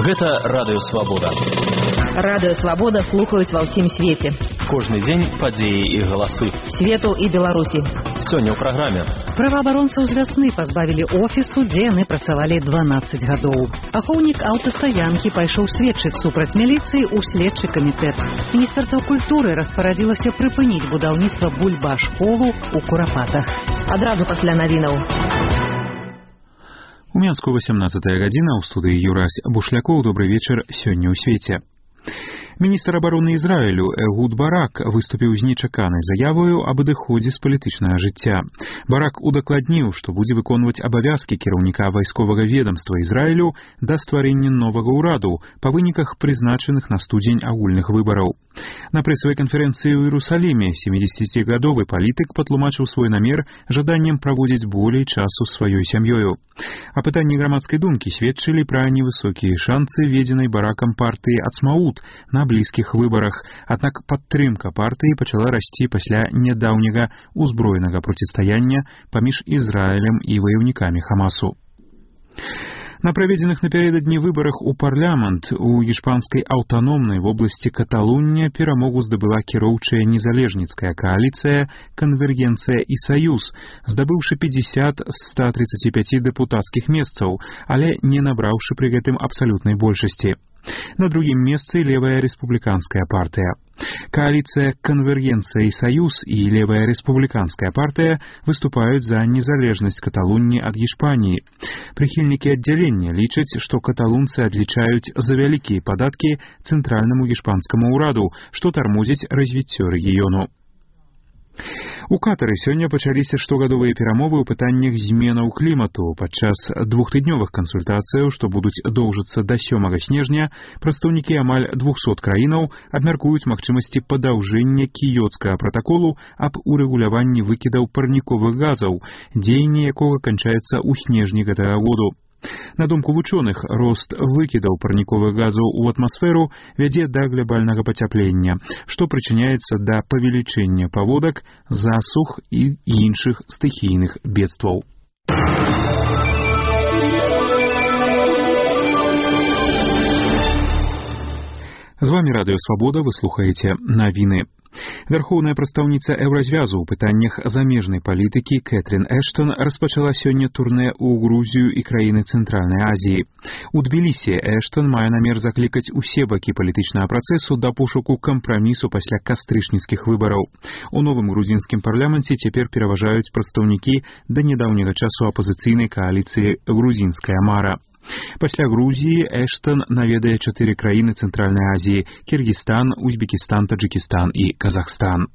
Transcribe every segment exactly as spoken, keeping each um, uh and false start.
Гэта Радыё Свабода. Радыё Свабода слухаюць ва ўсім свеце. Кожны дзень падзеі і галасы. Свету і Беларусі. Сёння ў праграме. Праваабаронцаў з вясны пазбавілі офісу, дзе яны працавалі дванаццаць гадоў. Ахоўнік аўтастаянкі пайшоў сведчыць супраць міліцыі ў следчы камітэт. Міністэрства культуры распарадзілася прыпыніць будаўніцтва бульба-школу ў Курапатах. Адразу пасля навінаў. У Менску восемнадцатая гадзіна, ў студыі Юрась Бушлякоў. Добры вечар, сёння ў свеце. Міністр абароны Ізраілю Эгуд Барак выступіў з нечаканай заявою аб адыходзе з палітычнага жыцця. Барак удакладніў, што будзе выконваць абавязкі кіраўніка вайсковага ведамства Ізраілю да стварэння новага ўраду па выніках прызначаных на студзень агульных выбараў. На прэсавай канферэнцыі ў Іерусаліме сямідзесяцігадовы палітык патлумачыў свой намер жаданнем праводзіць болей часу сваёй сям'ёю. Апытанні грамадскай думкі сведчылі пра невысокія шанцы ведзенай Баракам партыі Ацмаут на блізкіх выбарах, аднак падтрымка партыі пачала расці пасля нядаўняга ўзброенага процістаяння паміж Ізраілем і ваяўнікамі Хамасу. На праведзеных напярэдадні выбарах у парламент у іспанскай аўтаномнай вобласці Каталуння перамогу здабыла кіроўчая незалежніцкая кааліцыя «Канвергенцыя і Саюз», здабыўшы пятьдесят з ста тридцати пяти дэпутацкіх месцаў, але не набраўшы пры гэтым абсалютнай большасці. На другім месцы левая рэспубліканская партыя. Коалиция «Конвергенция и Союз» и левая республиканская партия выступают за незалежность Каталунии от Испании. Прихильники отделения лічаць, что каталунцы отличают за великие податки центральному испанскому ураду, что тормозит развитие региону. У Катары сёння пачаліся штогадовыя перамовы ў пытаннях зменаў клімату. Падчас двухтыднёвых кансультацыяў, што будуць доўжыцца да сёмага снежня, прадстаўнікі амаль двухсот краінаў абмяркуюць магчымасці падаўжэння кіёцкага пратаколу аб урэгуляванні выкідаў парніковых газаў, дзеянне якога канчаецца ў снежні гэтага году. На думку вучоных, рост выкідаў парніковых газаў у атмасферу вядзе да глобальнага пацяплення, што прычыняецца да павелічэння паводак, засух і іншых стыхійных бедстваў. З вами Радыё Свабода, вы слухаеце навіны. Вярхоўная прадстаўніца Еўразвязу ў пытаннях замежнай палітыкі Кэтрин Эштон распачала сёння турнэ ў Грузію і краіны Цэнтральнай Азіі. У Тбілісі Эштон мае намер заклікаць усе бакі палітычнага працэсу да пошуку кампрамісу пасля кастрычніцкіх выбараў. У новым грузінскім парламенце цяпер пераважаюць прадстаўнікі да нядаўняга часу апазіцыйнай кааліцыі «Грузінская мара». Пасля Грузіі Эштон наведае чатыры краіны Цэнтральнай Азіі – Кіргізстан, Узбекістан, Таджикістан і Казахстан.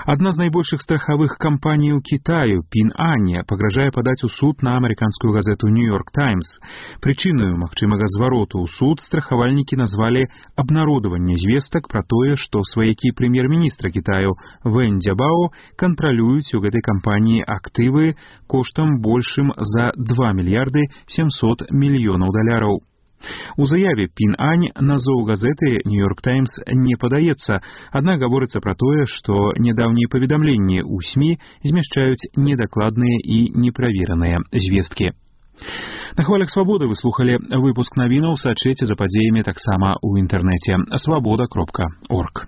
Адна з найбольшых страхавых кампаній у Кітаю, Пін Ань, пагражае падаць у суд на амерыканскую газету «Нью-Йорк Таймс». Прычынаю магчымага звароту ў суд страхавальнікі назвалі абнародаванне звестак пра тое, што сваякі прэм'ер-міністра Кітаю Вэн Цзябао кантралююць у гэтай кампаніі актывы коштам большым за два мільярды сямсот мільёнаў даляраў. У заяве Пін Ань назоў газеты «Нью-Йорк Таймс» не падаецца, аднак гаворыцца пра тое, што нядаўнія паведамленні ў СМІ змяшчаюць недакладныя і неправераныя звесткі. На хвалях Свабоды вы слухалі выпуск навінаў, сачыце за падзеямі таксама ў інтэрнэце свабода кропка орг.